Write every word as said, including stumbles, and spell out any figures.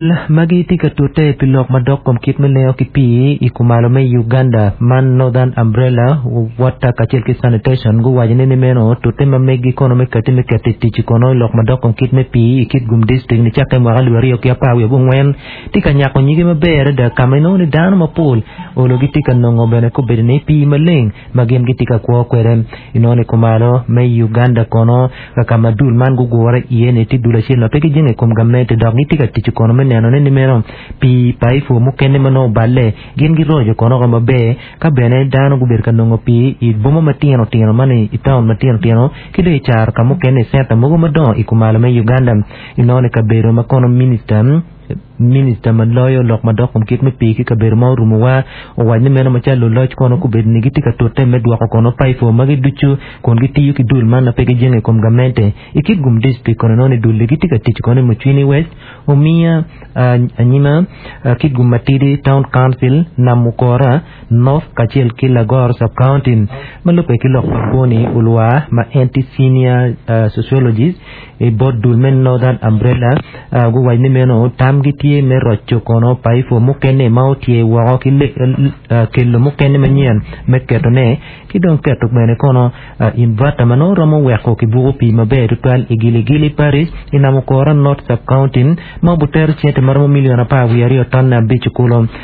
Magi tye ka tute pi lok madok kom kit me lengo ki pii i kumalo me Uganda man Northern Umbrella Water kacel ki Sanitation guwaco ni meno tute ma megi kono me kati me keto i tic kono lok madok kom kit me pii i Kitgum District nicakke mwaka alip aryo ki apar wiye abongwen tye ka nyako nyige maber adada ka ma inongo ni dano mapol olo gitye ka nongo bene kobedo ni pii maleng ma gin gitye ka kwo kwede inongo ni kumalo me Uganda kono ka ma dul man gugure iye ni tye dul acel ma pe gijenge i kom gamente dok gitye ka tic kono me neno ni meno pii paipo mukene ma nongo oballe gin giroco kono maber ka bene dano gubedo ka nongo pii i boma matino tino man i taun matino tino ki dong i caro ka mukene i centa mogo madongo i kumalo me Uganda inongo ni kabedo ma kono minista minista ma loyo lok madok kom kit me pii ki kabedo ma orumowa owaco ni meno macalo luloc kono kobedo ni gitye ka tute me dwoko kono paipo magi ducu kun gitiyo ki dul man ma pe gijenge i kom gamente i Kitgum District kono inongo ni dul-li gitye ka tic kono i Mucwini West Omiya Anyima Kitgum Matidi Town Council Namukora North kacel ki Lagoro Sub-County ma lubbe ki lok pa Boni Ulwa ma en tye senior sociologist i bot dul me Northern Umbrella guwaco ni meno tamgi tye me roco kono paipo mukene ma otye woko ki kelo mukene manyen me ketone ki dong keto bene kono inverter ma nongo romo weko kibuko pii maber tutwal i Giligili Parish i Namukora North Sub-County ma obutero cente maromo milion apar wiye aryo tonne abic kulu.